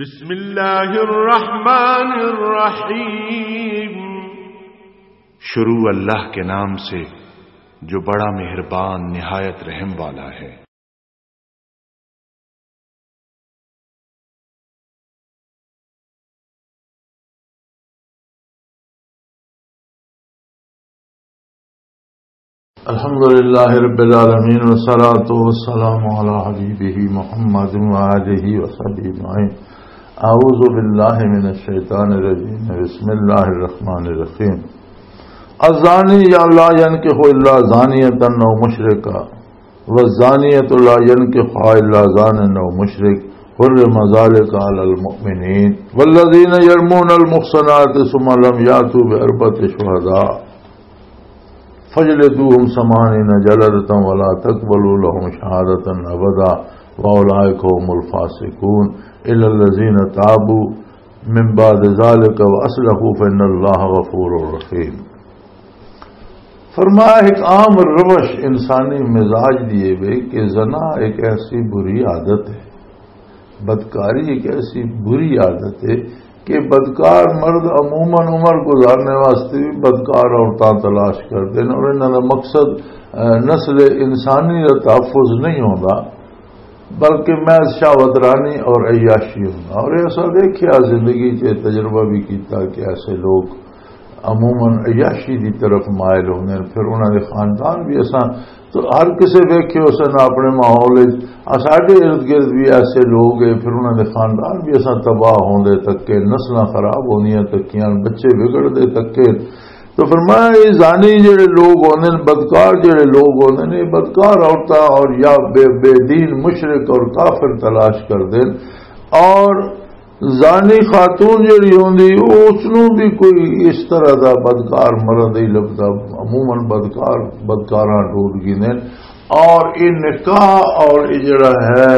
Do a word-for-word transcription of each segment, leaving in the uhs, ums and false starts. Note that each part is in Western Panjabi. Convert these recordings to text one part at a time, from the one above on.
بسم اللہ الرحمن الرحیم۔ شروع اللہ کے نام سے جو بڑا مہربان نہایت رحم والا ہے۔ الحمد لله رب العالمين، والصلاة والسلام على حبيبه محمد وآله وصحبه أجمعين. أعوذ بالله من الشيطان الرجيم. بسم الله الرحمن الرحيم. الزاني لا ينكح إلا زانية أو مشركا، والزانية لا ينكحها إلا زان أو مشرك، حرم ذلك على المؤمنين. والذين يرمون المحصنات ثم لم يأتوا بأربعة شهداء فاجلدوهم ثمانين جلدة ولا تقبلوا لهم شهادة أبدا وأولئك هم الفاسقون، إلا الذين تابوا من بعد ذلك وأصلحوا فإن الله غفور رحيم. فرمایا، ایک عام روش انسانی مزاج دی اے وے کہ زنا ایک ایسی بری عادت ہے، بدکاری ایک ایسی بری عادت ہے کہ بدکار مرد عموماً عمر گزارنے واسطے بھی بدکار عورتاں تلاش کرتے ہیں، اور انہاں دا مقصد، اے، نسل انسانی دا تحفظ نہیں ہوندا، بلکہ محض شہوت رانی اور عیاشی ہوندا۔ اور ایسا دیکھیا، زندگی چ تجربہ بھی کیتا کہ ایسے لوگ عموماً عیاشی دی طرف مائل ہوندے نے۔ پھر انہاں دے خاندان بھی، اساں تو ہر کسے ویکھے، اس نے اپنے ماحول وچ، آ، ساڈے ارد گرد بھی ایسے لوگ ہیں، پھر انہاں دے خاندان بھی اساں تباہ ہوندے تکے، نسلاں خراب ہوندیاں تکیاں، بچے بگڑدے تکے۔ تو فرمایا، یہ زانی جڑے لوگ ہوندے نے، بدکار جڑے لوگ ہوندے نے، یہ بدکار عورتاں اور یا بے، بے دین مشرک اور کافر تلاش کردے نے۔ اور زانی خاتون جڑی ہوندی، او اس نوں بھی کوئی اس طرح دا بدکار مرد ہی لبدا۔ عموماً بدکار، بدکاراں ٹوٹ گئے نے۔ اور یہ نکاح اور یہ جڑا ہے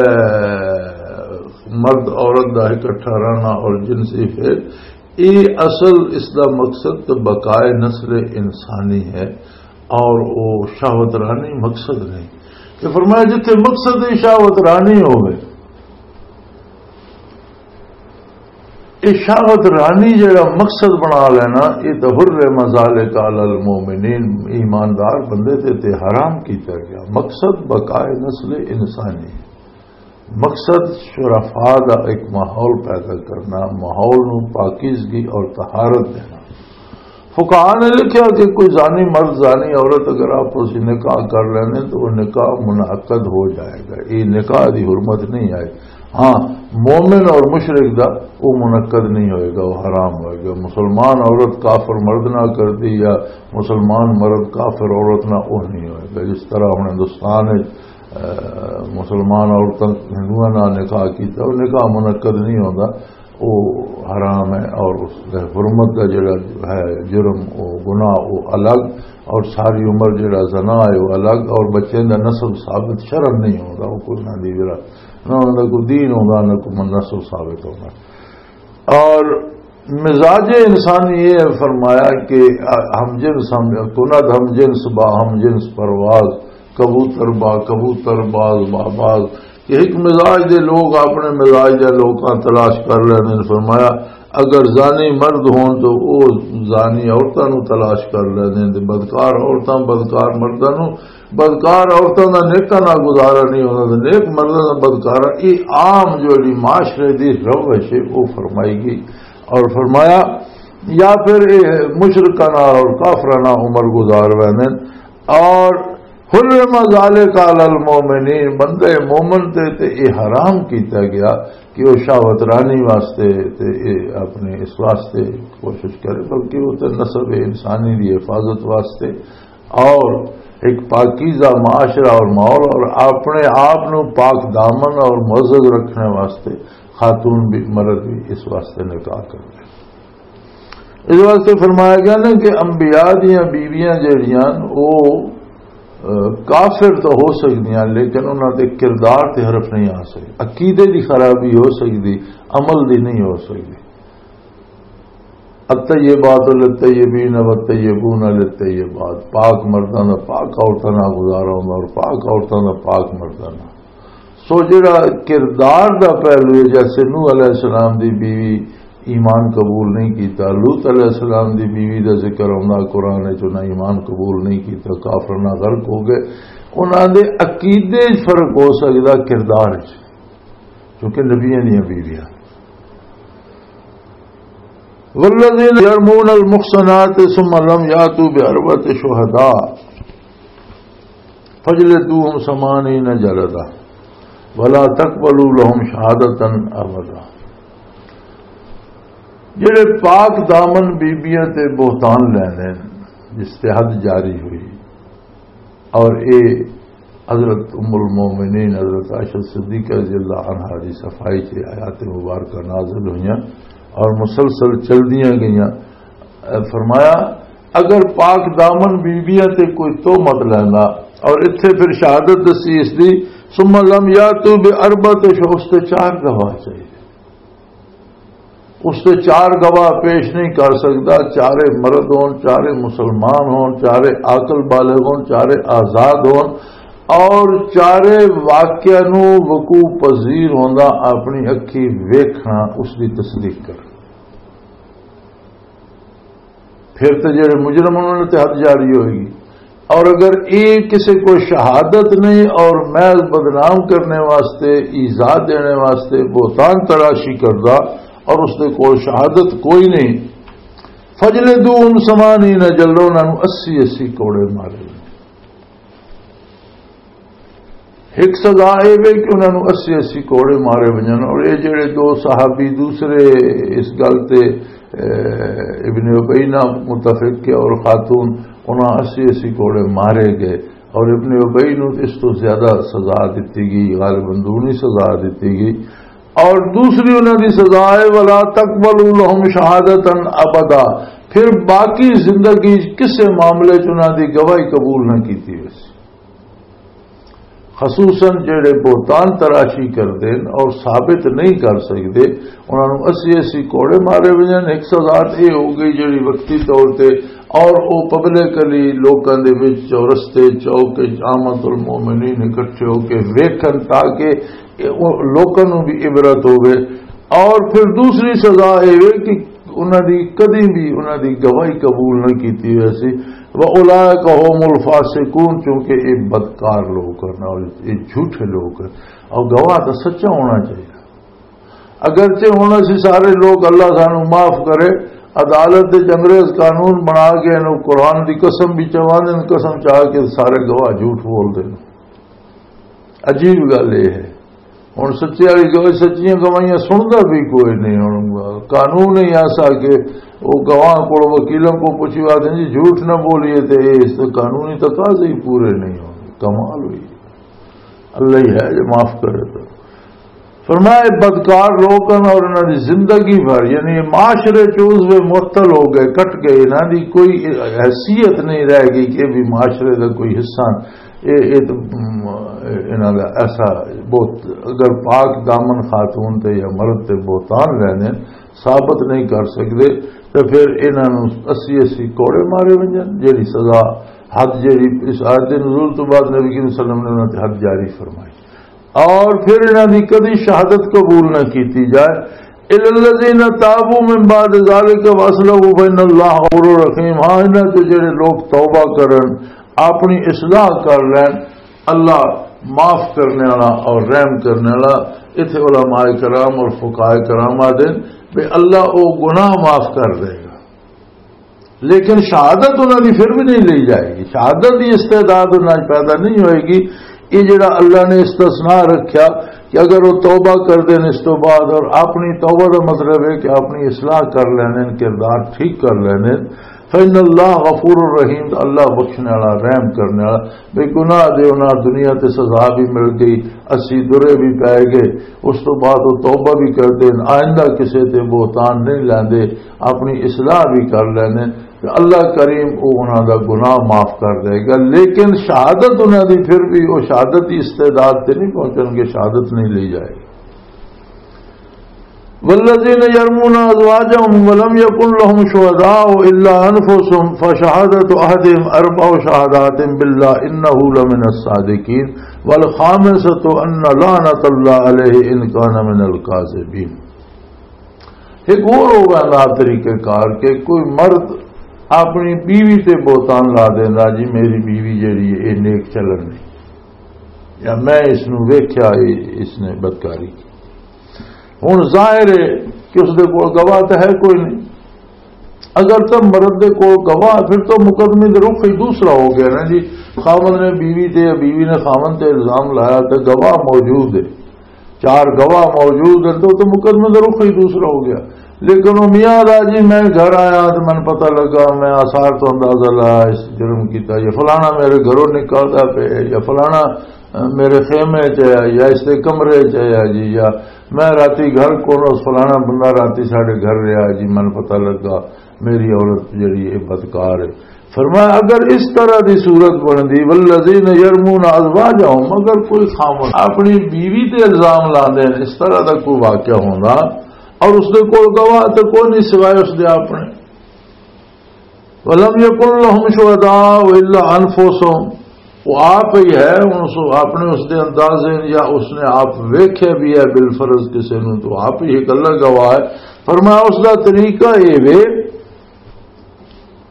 مرد عورت دا اکٹھا رہنا اور جنسی فعل، یہ اصل اس دا مقصد تو بقائے نسل انسانی ہے، اور وہ شہوت رانی مقصد نہیں۔ کہ فرمایا، جتھے مقصد ہی شہوت رانی ہوئے، یہ شہوت رانی جڑا مقصد بنا لینا، یہ تو حرم ذالک علی المومنین، ایماندار بندے تے، تے حرام کیتا گیا۔ مقصد بقائے نسل انسانی، مقصد شرفا دا ایک ماحول پیدا کرنا، ماحول نو پاکیزگی اور طہارت دینا۔ فقہا نے لکھیا کہ کوئی زانی مرد، زانی عورت اگر آپس وچ نکاح کر لینے تو وہ نکاح منعقد ہو جائے گا، یہ نکاح دی حرمت نہیں آئے۔ ہاں، مومن اور مشرک دا وہ منعقد نہیں ہوئے گا، وہ حرام ہوئے گا۔ مسلمان عورت کافر مرد نہ کردی یا مسلمان مرد کافر عورت نہ، وہ نہیں ہوئے گا۔ جس طرح ہن ہندوستان وچ، اے، مسلمان عورتاں ہندوؤں نال نکاح کیتا، وہ نکاح منعقد نہیں ہوندا، وہ حرام ہے۔ اور اس دے حرمت دا جڑا ہے جرم، وہ گناہ، وہ الگ، اور ساری عمر جڑا زنا ہے وہ الگ، اور بچے دا نسب ثابت شرعاً نہیں ہوندا، وہ کوئی نہ دی جڑا نہ انہاں دا کوئی دین ہوندا، نہ کوئی نسل ثابت ہوندا۔ اور مزاج انسانی یہ ہے، فرمایا کہ ہم جنس، ہم کنت، ہم جنس با ہم جنس پرواز، کبوتر با کبوتر، باز با باز، کہ ایک مزاج دے لوگ اپنے مزاج دے لوکاں تلاش کر لیندے نے۔ فرمایا، اگر زانی مرد ہون تو او زانی عورتاں نو تلاش کر لیندے نے، تے بدکار عورتاں بدکار مرداں نو، بدکار عورتاں دا نیکاں نال گزارا نہیں ہوندا، تے نیک مرداں دا بدکارا۔ یہ عام جڑی معاشرے دی روش ہے، وہ فرمائی گئی۔ اور فرمایا، یا پھر یہ مشرکاں نال اور کافراں نال عمر گزار ویندے نے۔ اور حرم ذالک علی المومنین، بندے مومن تے، تے یہ حرام کیتا گیا کہ وہ شہوت رانی واسطے تے یہ اپنے اس واسطے کوشش کرے، بلکہ وہ تے نسب انسانی دی حفاظت واسطے اور ایک پاکیزہ معاشرہ اور ماحول اور اپنے آپ نو پاک دامن اور معزز رکھنے واسطے خاتون بھی، مرد بھی اس واسطے نکاح کرے۔ اس واسطے فرمایا گیا نا کہ انبیاء دیاں بیویاں جہڑیاں، وہ، اہ، کافر تو ہو سکدیاں، لیکن انہاں دے کردار تے حرف نہیں آ سکدے، عقیدے دی خرابی ہو سکدی، عمل دی نہیں ہو سکدی۔ الطیبات للطیبین والطیبون للطیبات، پاک مرداں دا پاک عورتاں نال گزارا ہوندا اور پاک عورتاں دا پاک مرداں نال۔ سو جڑا کردار دا پہلو ہے، جیسے نوح علیہ السلام دی بیوی ایمان قبول نہیں کیتا، لوط علیہ السلام دی بیوی دا ذکر آوندا قرآن وچ، انہاں ایمان قبول نہیں کیتا، کافر نہ غرق ہو گئے۔ انہاں دے عقیدے وچ فرق ہو سکدا، کردار وچ، کیونکہ نبیاں دیاں بیویاں۔ والذین یرمون المحصنات ثم لم یاتوا باربعۃ شہداء فجلدوہم ثمانین جلدہ ولا تقبلوا لهم شہادۃ ابدا۔ جڑے پاک دامن بیبیاں تے بہتان لیندے نے، جس تے حد جاری ہوئی، اور اے حضرت ام المومنین حضرت عائشہ صدیقہ رضی اللہ عنہا دی صفائی تے آیات مبارکہ نازل ہوئیاں، اور مسلسل چلدیاں گئیاں۔ اے فرمایا، اگر پاک دامن بیبیاں تے کوئی تہمت لیندا اور اتھے پھر شہادت دسی اس دی، ثم لم یاتوا باربعۃ شہداء، اس تے چار گواہ چاہیے۔ اس تے چار گواہ پیش نہیں کر سکدا، چارے مرد ہون، چارے مسلمان ہون، چارے عاقل بالغ ہون، چارے آزاد ہون، اور چارے واقعہ نو وقوع پذیر ہوندا اپنی اکھی ویکھنا، اس دی تصدیق کرنا۔ پھر تے جڑے مجرم انہاں نے تے حد جاری ہوئے گی۔ اور اگر اے کسے کو شہادت نہیں اور محض بدنام کرنے واسطے، ایذا دینے واسطے بہتان تراشی کردا اور اس دے کول شہادت کوئی نہیں، فجلدوہم ثمانین جلدہ، انہاں نوں اسی اسی کوڑے مارے۔ ایک سزا اے وے کہ انہاں نوں اسی اسی کوڑے مارے ونجن، اور اے جڑے دو صحابی دوسرے اس گل تے، اے، ابن ابی نہ متفق کے اور خاتون، انہاں اسی اسی کوڑے مارے گئے، اور ابن ابی نوں اس تو زیادہ سزا دتی گئی، غالباً دونی سزا دتی گئی۔ اور دوسری انہاں دی سزا ہے، ولا تقبلوا لهم شہادتا ابدا، پھر باقی زندگی کسے معاملے چ انہاں دی گواہی قبول نہ کیتی ویسی۔ خصوصاً جڑے بہتان تراشی کردے نے اور ثابت نہیں کر سکدے، انہاں نوں اسی اسی کوڑے مارے ونجن۔ ایک سزا تے اے ہو گئی جڑی وقتی طور تے، اور او پبلکلی لوکاں دے وچ، چورستے، چوک وچ عامت المومنین اکٹھے ہو کے ویکھن، تاکہ اے او لوکاں نوں بھی عبرت ہوے۔ اور پھر دوسری سزا اے وے کہ انہاں دی کدی بھی انہاں دی گواہی قبول نہ کیتی ویسی۔ وَأُولَٰئِكَ هُمُ الْفَاسِقُونَ، چونکہ اے بدکار لوگ ہن اور اے جھوٹے لوگ ہن۔ اور گواہ تو سچا ہونا چاہیے۔ اگرچہ ہن اسی سارے لوگ اللہ سانو معاف کرے، عدالت وچ انگریز قانون بنا کے انہوں قرآن دی قسم بھی چواندے نے، قسم چاہ کے سارے گواہ جھوٹ بول دے نے۔ عجیب گل یہ ہے، ہن سچے والی گواہی، سچیاں گواہیاں سندا بھی کوئی نہیں۔ ہن قانون ہی ایسا کہ وہ گواہ کو، وکیلوں کو پوچھی بات ہے جی، جھوٹ نہ بولیے، تے اس قانونی تقاضے ہی پورے نہیں ہوندے۔ کمال ہوئی، اللہ ہی ہے جو معاف کرے۔ تو فرمایا، بدکار لوگ ہیں اور انہاں دی زندگی بھر، یعنی یہ معاشرے چ عضو معطل ہو گئے، کٹ گئے، انہاں دی کوئی حیثیت نہیں رہ گئی کہ یہ بھی معاشرے دا کوئی حصہ۔ یہ، یہ تو، ام، انہاں دا ایسا بہت، اگر پاک دامن خاتون تے یا مرد تے بہتان لینے ثابت نہیں کر سکدے، تے پھر انہاں نوں اسی اسی کوڑے مارے ونجن، جیڑی سزا حد، جیڑی اس آیت دے نزول تو بعد نبی کریم صلی اللہ علیہ وسلم نے انہاں تے حد جاری فرمائی۔ اور پھر انہاں دی کدی شہادت قبول نہ کیتی جائے۔ الا الذین تابوا من بعد ذلک واصلحوا فان اللہ غفور رحیم۔ ہاں، انہاں چ جڑے لوگ توبہ کرن، اپنی اصلاح کر لین، اللہ معاف کرنے والا اور رحم کرنے والا۔ اتھے علماء کرام اور فقہاء کرام آدھے بھی اللہ او گناہ معاف کر دے گا۔ لیکن شہادت انہاں دی پھر بھی نہیں لئی جائے گی، شہادت دی استعداد انہاں وچ پیدا نہیں ہوئے گی۔ یہ جڑا اللہ نے استثناء رکھیا کہ اگر وہ توبہ کر دین اس تو بعد، اور اپنی توبہ دا مطلب ہے کہ اپنی اصلاح کر لینے، کردار ٹھیک کر لینے، فإن اللہ غفور الرحیم، اللہ بخشنے والا، رحم کرنے والا۔ بے گناہ دے انہاں دنیا تے سزا بھی مل گئی، اسی درے بھی پے گئے، اس تو بعد وہ توبہ بھی کر دین، آئندہ کسے تے بہتان نہیں لیندے، اپنی اصلاح بھی کر لیندے، تے اللہ کریم او انہاں دا گناہ معاف کر دے گا۔ لیکن شہادت انہاں دی پھر بھی، وہ شہادت دی استعداد تے نہیں پہنچن گے، شہادت نہیں لی جائے گی۔ والذين يرمون أزواجهم ولم يكن لهم شهداء إلا أنفسهم فشهادة أحدهم أربع شهادات بالله إنه لمن الصادقين والخامسة أن لعنة الله عليه إن كان من الكاذبين۔ ایک اور ہو گیا نا طریقہ کار کہ کوئی مرد اپنی بیوی تے بہتان لا دینا، "جی میری بیوی جڑی ہے یہ نیک چلن نہیں، یا میں اس نو ویکھیا، یہ اس نے بدکاری کی۔" ہن ظاہر ہے کہ اس دے کول گواہ تے ہے کوئی نہیں۔ اگر تو مرد دے کول گواہ، پھر تو مقدمے دے رخ ہی دوسرا ہو گیا نا جی۔ خاوند نے بیوی تے یا بیوی نے خاوند تے الزام لایا تے گواہ موجود ہے، چار گواہ موجود ہیں، تو تو مقدمے دے رخ ہی دوسرا ہو گیا۔ لیکن وہ میاں دا جی، میں گھر آیا تو مینوں پتہ لگا، میں آثار تو اندازہ لایا، اس جرم کیتا، یا فلانا میرے گھروں نکلدا پے، یا فلانا میرے خیمے چ ہے یا اس دے کمرے چ ہے جی، یا میں راتی گھر کون، اس فلانا بندہ راتی ساڈے گھر رہیا جی، من پتہ لگا میری عورت جڑی ہے بدکار ہے۔ فرمایا اگر اس طرح دی صورت بندی، والذین یرمون ازواجہم، اگر کوئی خاوند اپنی بیوی تے الزام لاندے ہیں، اس طرح دا کوئی واقعہ ہونا اور اس دے کول گواہ تے کوئی نہیں سوائے اس دے اپنے، ولم یکن لہم شہداء الا انفسہم، وہ آپ ہی ہے، اس اپنے اس دے اندازے یا اس نے آپ ویکھے بھی ہے بالفرض کسے نو، تو آپ ہی ایک اللہ گواہ ہے۔ فرمایا اس دا طریقہ یہ وے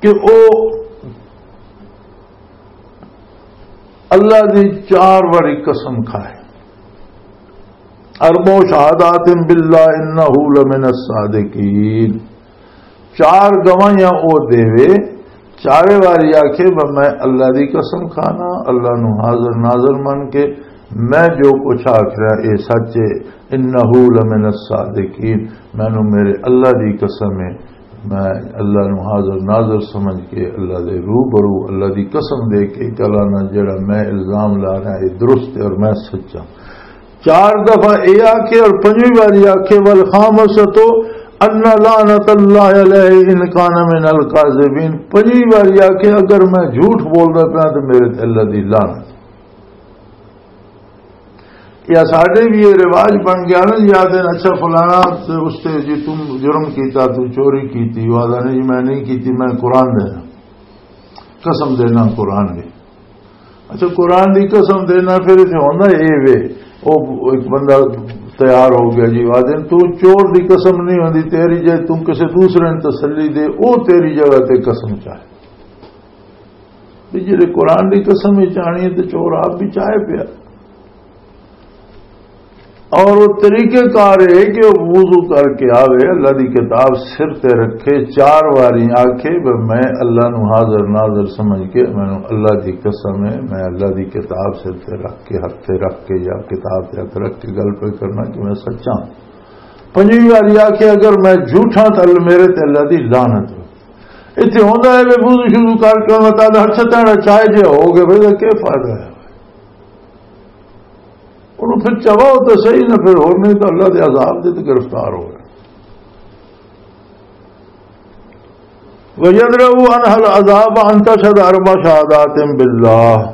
کہ او اللہ دی چار واری قسم کھائے، اربع شہادات باللہ انہ لمن الصادقین، چار گواہیاں او دے، چارے واری آکھے، "میں اللہ دی قسم کھانا، اللہ نو حاضر ناظر من کے میں جو کچھ آکھ رہا اے سچ اے، انہ لمن الصادقین، مینوں میرے اللہ دی قسم اے، میں اللہ نو حاضر ناظر سمجھ کے اللہ دے روبرو اللہ دی قسم دے کے کلانا جڑا میں الزام لا رہا اے درست اے اور میں سچا۔" چار دفعہ اے آکھے اور پنجویں واری آکھے، "والخامسۃ ان لعنت اللہ علیہ ان کان من الکاذبین۔" پنجویں واری آکھے، "اگر میں جھوٹ بولدا پیا تو میرے تے اللہ دی لعنت۔" یا ساڈے بھی یہ رواج بن گیا نا، یاد ہے، اچھا فلانا تے اس تے جی تم جرم کیتا، تم چوری کیتی، وہ آدھا، "نہیں، میں نہیں کیتی، میں قرآن دینا، قسم دینا قرآن دی۔" اچھا، قرآن دی قسم دینا، پھر اتنے ہونا اے وے، او ایک بندہ تیار ہو گیا جی، آدھے، "تو چور دی قسم نہیں ہوندی، تیری جے تم کسے دوسرے نے تسلی دے، او تیری جگہ تے قسم چاہے۔" بھی جی قرآن دی قسم ہی چاہنی ہے تو چور آپ بھی چاہے پیا۔ اور وہ طریقہ کار ہے کہ وہ وضو کر کے آوے، اللہ دی کتاب سر تے رکھے، چار واری آکھے، "میں اللہ نو حاضر ناظر سمجھ کے، مینوں اللہ دی قسم ہے، میں اللہ دی کتاب سر تے رکھ کے، ہتھ تے رکھ کے یا کتاب تے ہتھ رکھ کے گل پہ کرنا کہ میں سچا ہوں۔" پنجویں واری آکھے، "اگر میں جھوٹا تو میرے تے اللہ دی لعنت ہو۔" اتنے ہوندا ہے، میں وضو شروع کر کے میں تاں ہر چھتاں چائے جے ہو گئے، بھئی، کیا فائدہ ہے؟ انہوں پھر چواؤ تو صحیح نہ، پھر ہور نہیں تو اللہ دے عذاب دے تو گرفتار ہو گئے۔ وَيَدْرَأُ عَنْهَا الْعَذَابَ أَنْ تَشْهَدَ أَرْبَعَ شَهَادَاتٍ بِاللَّهِ۔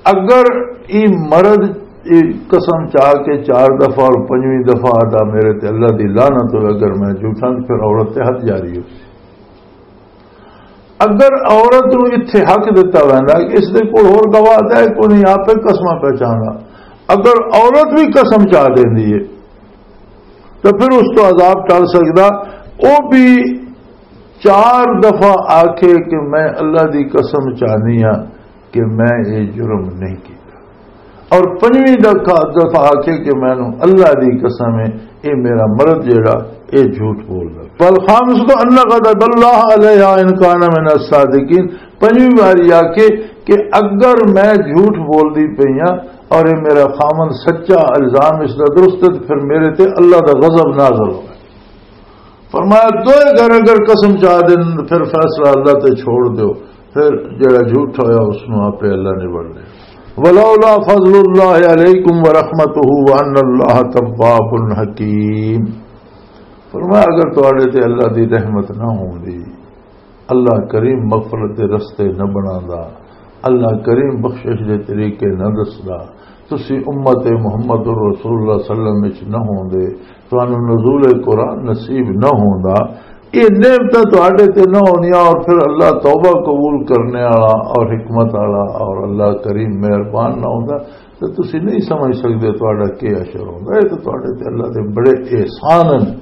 اگر یہ مرد یہ قسم چاہ کے چار دفعہ اور پنجویں دفعہ آدھا میرے تے اللہ دی لعنت ہوئے، اگر میں جھوٹاں، تو پھر عورت تے حد جاری ہو سی۔ اگر عورت نو اتھے حق دتا ویندا کہ اس دے کول ہور گواہ تے کوئی نہیں، آپ ہی قسماں پہچاندا، اگر عورت بھی قسم چاہ دیندی ہے تو پھر اس تو عذاب ٹل سکدا۔ او بھی چار دفعہ آکھے کہ میں اللہ دی قسم چاہنی ہاں کہ میں یہ جرم نہیں کیتا، اور پنجویں دفعہ، دفعہ آکھے کہ مینوں اللہ دی قسم ہے، اے میرا مرد جیڑا، اے جھوٹ بولدا۔ والخامسۃ ان غضب اللہ علیہ ان کان من الصادقین۔ پنجویں واری آکھے کہ اگر میں جھوٹ بولدی پئی ہاں اور اے میرا خاوند سچا، الزام اس دا درست ہے، تو پھر میرے تے اللہ دا غضب نازل ہوئے۔ فرمایا، دوئے گھر اگر قسم چاہ دین، پھر فیصلہ اللہ تے چھوڑ دیو، پھر جڑا جھوٹ ہویا، اس نو آپے اللہ نبڑ لے۔ ولولا فضل اللہ علیکم ورحمتہ وان اللہ تواب حکیم۔ فرمایا، اگر تواڈے تے اللہ دی رحمت نہ ہوندی، اللہ کریم مغفرت دے رستے نہ بناندا، اللہ کریم بخشش دے طریقے نہ دسدا، تسی امت محمد رسول اللہ صلی اللہ علیہ وسلم وچ نہ ہوندے، تانوں نزول قرآن نصیب نہ ہوندا۔ یہ نعمتاں تہاڈے تے نہ ہوندیاں، اور پھر اللہ توبہ قبول کرنے والا اور حکمت والا اور اللہ کریم مہربان نہ ہوندا، تے تسی نہیں سمجھ سکدے تہاڈا کی اشر ہوندا۔ یہ تے تہاڈے تے اللہ دے بڑے احسان ہیں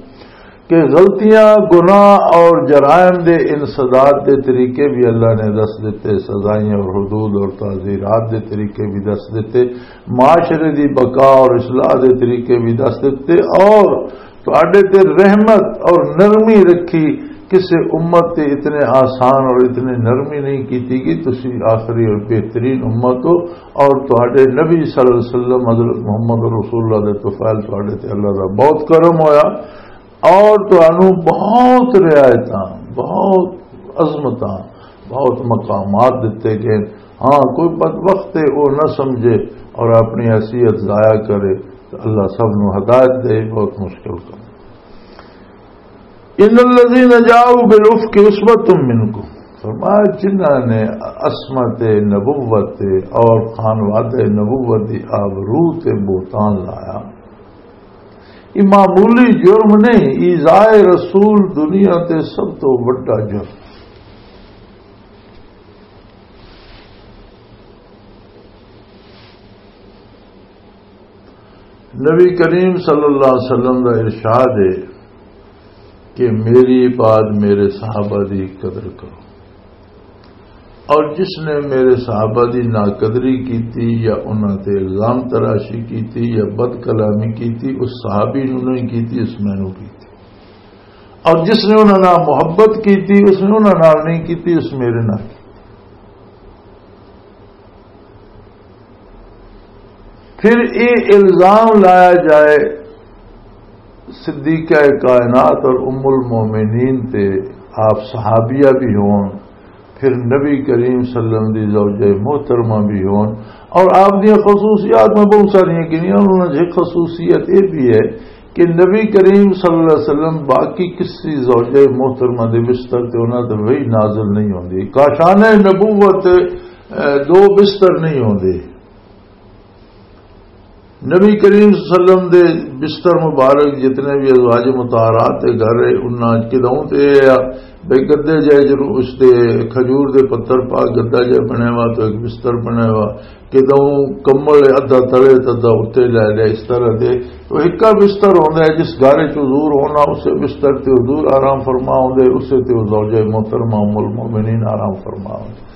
کہ غلطیاں، گناہ اور جرائم دے انسداد دے طریقے بھی اللہ نے دس دیتے، سزائیں اور حدود اور تعزیرات دے طریقے بھی دس دیتے، معاشرے دی بقا اور اصلاح دے طریقے بھی دس دیتے، اور تہاڈے تے رحمت اور نرمی رکھی۔ کسے امت تے اتنے آسان اور اتنی نرمی نہیں کیتی کہ تسی آخری اور بہترین امت ہو، اور تہاڈے نبی صلی اللہ علیہ وسلم حضرت محمد رسول اللہ دے طفیل، تہاڈے تے اللہ دا بہت کرم ہویا، اور تانوں بہت رعایتاں، بہت عظمتاں، بہت مقامات دتے گئے۔ ہاں، کوئی بدبخت ہے، وہ نہ سمجھے اور اپنی حیثیت ضائع کرے، تو اللہ سب نو ہدایت دے، بہت مشکل کام۔ ان الذين جاءوا بالافك عصبة منكم، فرمایا، جنہاں نے عصمت نبوت اور خانوادہ نبوت دی آبرو تے بہتان لایا، یہ معمولی جرم نہیں، ایذائے رسول دنیا تے سب تو وڈا جرم۔ نبی کریم صلی اللہ علیہ وسلم کا ارشاد ہے کہ میری بعد میرے صحابہ دی قدر کرو، اور جس نے میرے صحابہ دی ناقدری کیتی یا انہاں تے الزام تراشی کیتی یا بد کلامی کیتی، اس صحابی نو نہیں کیتی، اس مینوں کیتی۔ اور جس نے انہاں نال محبت کیتی، اس نے انہاں نال نہیں کیتی، اس میرے نال کیتی۔ پھر یہ الزام لایا جائے صدیقہ کائنات اور ام المومنین تے، آپ صحابیہ بھی ہون، پھر نبی کریم صلی اللہ علیہ وسلم دی زوجہ محترمہ بھی ہون، اور آپ دی خصوصیات میں بہت ساری گنیاں، انہاں دی خصوصیت یہ بھی ہے کہ نبی کریم صلی اللہ علیہ وسلم باقی کسی زوجہ محترمہ دے بستر تے انہاں تے وحی نازل نہیں ہوندی۔ کاشان نبوت، اے، دو بستر نہیں ہوندے۔ نبی کریم صلی اللہ علیہ وسلم دے بستر مبارک جتنے بھی ازواج مطہرات دے گھر ہے، انہاں کدوں تے اے آ بھئی گدے جائے، جنوں اس دے کھجور دے پتر پا گدا جائے بنے وا، تو ایک بستر بنے وا، کدوں کمل ادھا تلے تے ادھا اُتے لے لیا، اس طرح دے۔ وہ ایکا بستر ہوندا ہے، جس گھر وچ حضور ہونا، اسے بستر تے حضور آرام فرما ہوندے، اسے تے زوجہ محترمہ ام المومنین آرام فرما ہوندے۔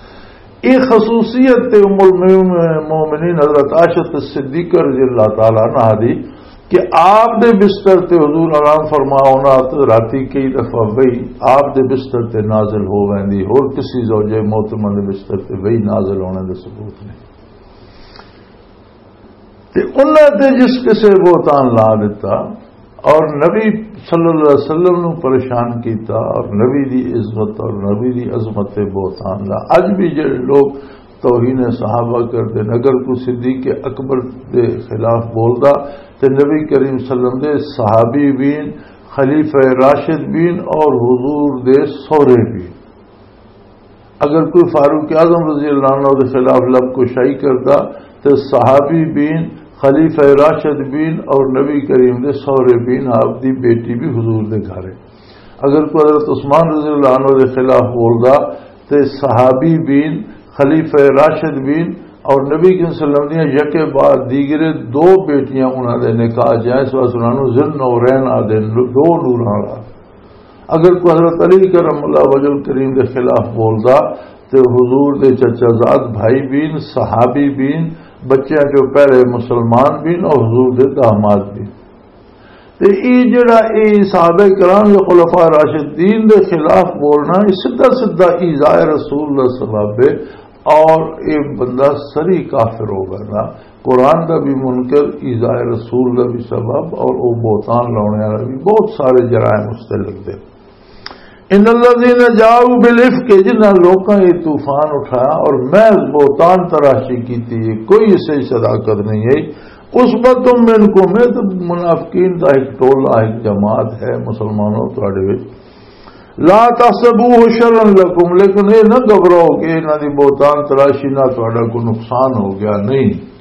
یہ خصوصیت تے ام المومنین حضرت عائشہ صدیقہ رضی اللہ تعالی عنہا دی کہ آپ دے بستر تے حضور آرام فرما ہونا، تے راتی کئی دفعہ وہی آپ دے بستر تے نازل ہو ویندی، اور کسی زوجہ محترمہ دے بستر تے وہی نازل ہونے دے ثبوت نہیں۔ تے انہاں تے جس کسے بہتان لا دیتا اور نبی صلی اللہ علیہ وسلم نو پریشان کیتا اور نبی دی عزت اور نبی دی عظمت تے بہتان لا۔ اج بھی جڑے لوگ توہین صحابہ کردے نے، اگر کوئی صدیق اکبر دے خلاف بولدا تے نبی کریم صلی اللہ علیہ وسلم دے صحابی بین، خلیفہ راشد بین اور حضور دے سہرے بین، اگر کوئی فاروق اعظم رضی اللہ عنہ دے خلاف لب کشائی کردا تے صحابی بین، خلیفہ راشد بین اور نبی کریم دے سہرے بین، آپ دی بیٹی بھی حضور دے گھر ہے۔ اگر کوئی حضرت عثمان رضی اللہ عنہ دے خلاف بولدا تے صحابی بین، خلیفہ راشد بین اور نبی کریم صلی اللہ علیہ وسلم دیاں یکے بعد دیگرے دو بیٹیاں انہاں دے نکاح جائیں، اس واسطے انہاں نوں ذی النورین آدھے، دو نوراں والا۔ اگر کوئی حضرت علی کرم اللہ وجہ الکریم دے خلاف بولدا تے حضور دے چچا زاد بھائی بین، صحابی بین، بچیاں چوں پہلے مسلمان بین اور حضور دے داماد بین۔ تے ای جڑا ای صحابہ کرام یا خلفاء راشدین دے خلاف بولنا، ای سدھا سدھا ایذاء رسول دا سبب ہے۔ اور یہ بندہ سری کافر ہو گیا نا، قرآن دا بھی منکر، ایذاء رسول دا بھی سبب، اور وہ بہتان لاؤنے والا بھی، بہت سارے جرائم اس تے لگدے۔ ان الذین جاؤوا بالافک، جنہاں لوکاں یہ طوفان اٹھایا اور محض بہتان تراشی کیتی ہے، کوئی اس سے صداقت نہیں ہے۔ عصبۃ منکم، یہ تو منافقین دا ایک ٹولہ، ایک جماعت ہے مسلمانوں تواڈے وچ۔ لا تحسبوه شرا لکم، لیکن یہ نہ گھبراؤ کہ انہاں دی بہتان تراشی نہ تہاڈا کوئی نقصان ہو گیا، نہیں۔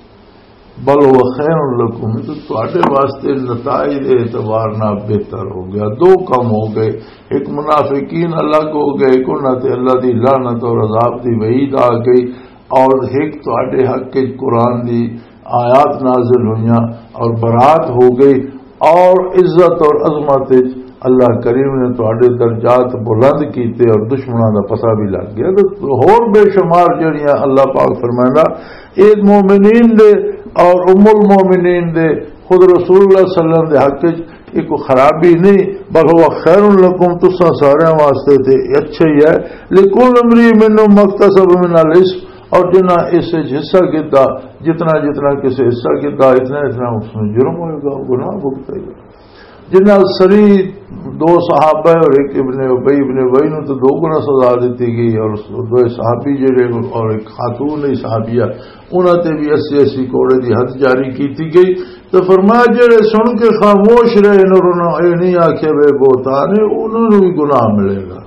بل هو خیر لکم، یہ تو تہاڈے واسطے نتائج دے اعتبار نال بہتر ہو گیا۔ دو کم ہو گئے، ایک منافقین الگ ہو گئے، ایک انہاں تے اللہ دی لعنت اور عذاب دی وعید آ گئی، اور ایک تہاڈے حق وچ قرآن دی آیات نازل ہوئیاں اور برات ہو گئی، اور عزت اور عظمت وچ اللہ کریم نے تہاڈے درجات بلند کیتے اور دشمناں دا پتہ بھی لگ گیا۔ تے ہور بے شمار جڑیاں اللہ پاک فرمائندا، اے مومنین دے اور ام المومنین دے، خود رسول اللہ صلی اللہ علیہ وسلم دے حق وچ یہ کوئی خرابی نہیں، بل هو خیر لکم، تساں سارے واسطے تے اچھا ہی ہے۔ لکل امرئ منهم ما اکتسب من الاثم، اور جنہاں اس وچ حصہ کیتا، جتنا جتنا کسے حصہ کیتا، اتنا اتنا اس میں جرم ہوئے گا، گناہ بھگتے گا۔ جنہاں سری دو صحابہ اور ایک ابن ابی، ابن ابی نو تو دو گنا سزا دیتی گئی، اور دو صحابی جڑے اور ایک خاتون ہی صحابیہ، انہاں تے بھی اسی اسی کوڑے دی حد جاری کیتی گئی۔ تو فرمایا، جڑے سن کے خاموش رہے نے اور انہاں اے نہیں آکھیا وے بہتان ہے، انہاں نوں بھی گناہ ملے گا۔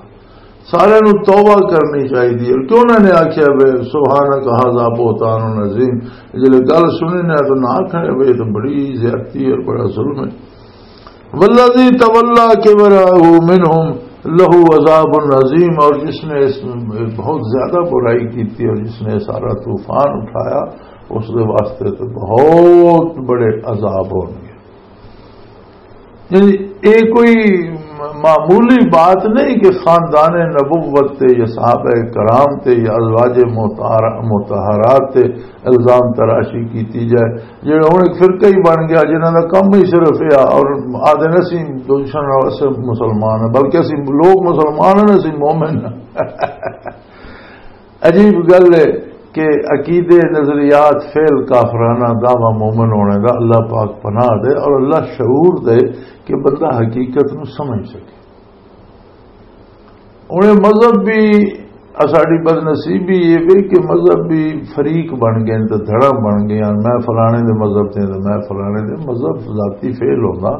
سارے نوں توبہ کرنی چاہیے۔ اور کیوں انہاں نے آکھیا وے سبحانک ھذا بہتان عظیم، جلے گل سنی نہ تو نہ آکھنے وے، یہ تو بڑی زیادتی اور بڑا ظلم ہے۔ والذی تولی کبرہ منہم لہ عذاب عظیم، اور جس نے اس میں بہت زیادہ برائی کی تھی اور جس نے سارا طوفان اٹھایا، اس دے واسطے تو بہت بڑے عذاب ہون گے۔ یعنی یہ کوئی معمولی بات نہیں کہ خاندان نبوت تے یا صحابہ کرام تے یا ازواج مطہر-، مطہرات تے الزام تراشی کیتی جائے۔ جڑا ہن ایک فرقہ ہی بن گیا جنہاں دا کم ہی صرف یہ اور آدھے نے اسی دشمن نال اسے مسلمان ہیں، بلکہ اسی لوگ مسلمان ہیں، اسی مومن ہیں۔ عجیب گل ہے کہ عقیدے، نظریات، فعل کافرانہ، دعویٰ مومن ہونے دا، اللہ پاک پناہ دے اور اللہ شعور دے کہ بندہ حقیقت نو سمجھ سکے۔ انہیں مذہب بھی، ساڈی بدنصیبی یہ بھی کہ مذہب بھی فریق بن گئے تے دھڑا بن گئے، میں فلانے دے مذہب تے تے میں فلانے دے۔ مذہب ذاتی فعل ہوندا،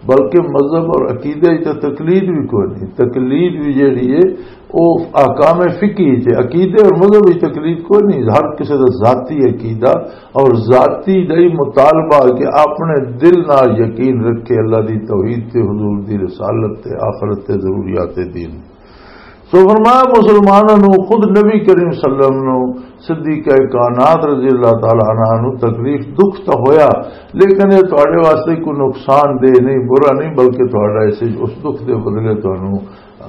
بلکہ مذہب اور عقیدے وچ تے تقلید بھی کوئی نہیں۔ تقلید بھی جیڑی ہے، وہ احکام فقہی وچ ہے، عقیدے اور مذہب وچ تقلید کوئی نہیں۔ ہر کسی دا ذاتی عقیدہ اور ذاتی دا ہی مطالبہ کہ اپنے دل نال یقین رکھے اللہ دی توحید تے، حضور دی رسالت تے، آخرت تے، ضروریات دین۔ سو فرمایا، مسلمانوں نو خود نبی کریم صلی اللہ علیہ وسلم نو صدیقہ کائنات رضی اللہ تعالی عنہ نو تکلیف، دکھ تو ہویا، لیکن یہ تہاڈے واسطے کوئی نقصان دہ نہیں، برا نہیں، بلکہ تہاڈا اس، اس دکھ دے بدلے تانوں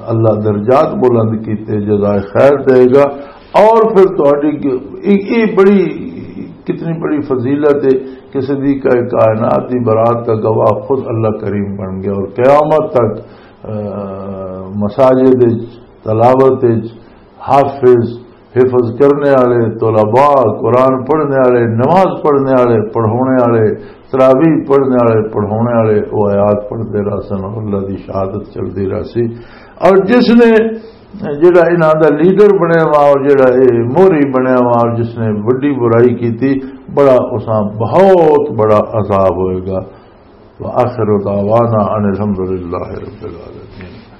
اللہ درجات بلند کیتے جزائے خیر دے گا۔ اور پھر تہاڈی گ-، یہ، یہ بڑی، کتنی بڑی فضیلت ہے کہ صدیقہ کائنات دی برات کا گواہ خود اللہ کریم بن گیا اور قیامت تک، آ، مساجد وچ، تلاوت وچ، حافظ، حفظ کرنے والے، طلباء، قرآن پڑھنے والے، نماز پڑھنے والے، پڑھونے والے، تراویح پڑھنے والے، پڑھونے والے، وہ آیات پڑھتے رہ سن اور اللہ دی شہادت چلتی رہ سی۔ اور جس نے، جڑا انہاں دا لیڈر بنیا وا اور جڑا اے موری بنیا وا اور جس نے وڈی برائی کیتی، بڑا اساں بہت بڑا عذاب ہوئے گا۔ وآخر دعوانا ان الحمد للہ رب العالمین۔